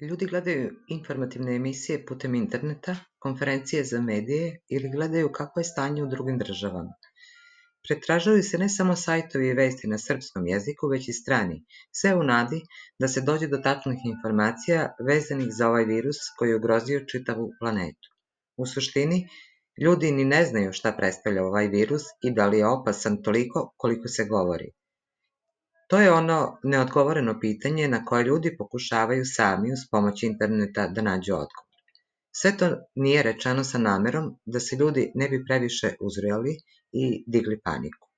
Ljudi gledaju informativne emisije putem interneta, konferencije za medije ili gledaju kakvo je stanje u drugim državama. Pretražuju se ne samo sajtovi i vesti na srpskom jeziku, već i strani, sve u nadi da se dođe do tačnih informacija vezanih za ovaj virus koji je ugrozio čitavu planetu. U suštini, ljudi ni ne znaju šta predstavlja ovaj virus i da li je opasan toliko koliko se govori. To je ono neodgovoreno pitanje na koje ljudi pokušavaju sami uz pomoć interneta da nađu odgovor. Sve to nije rečeno sa namerom da se ljudi ne bi previše uzrujali i digli paniku.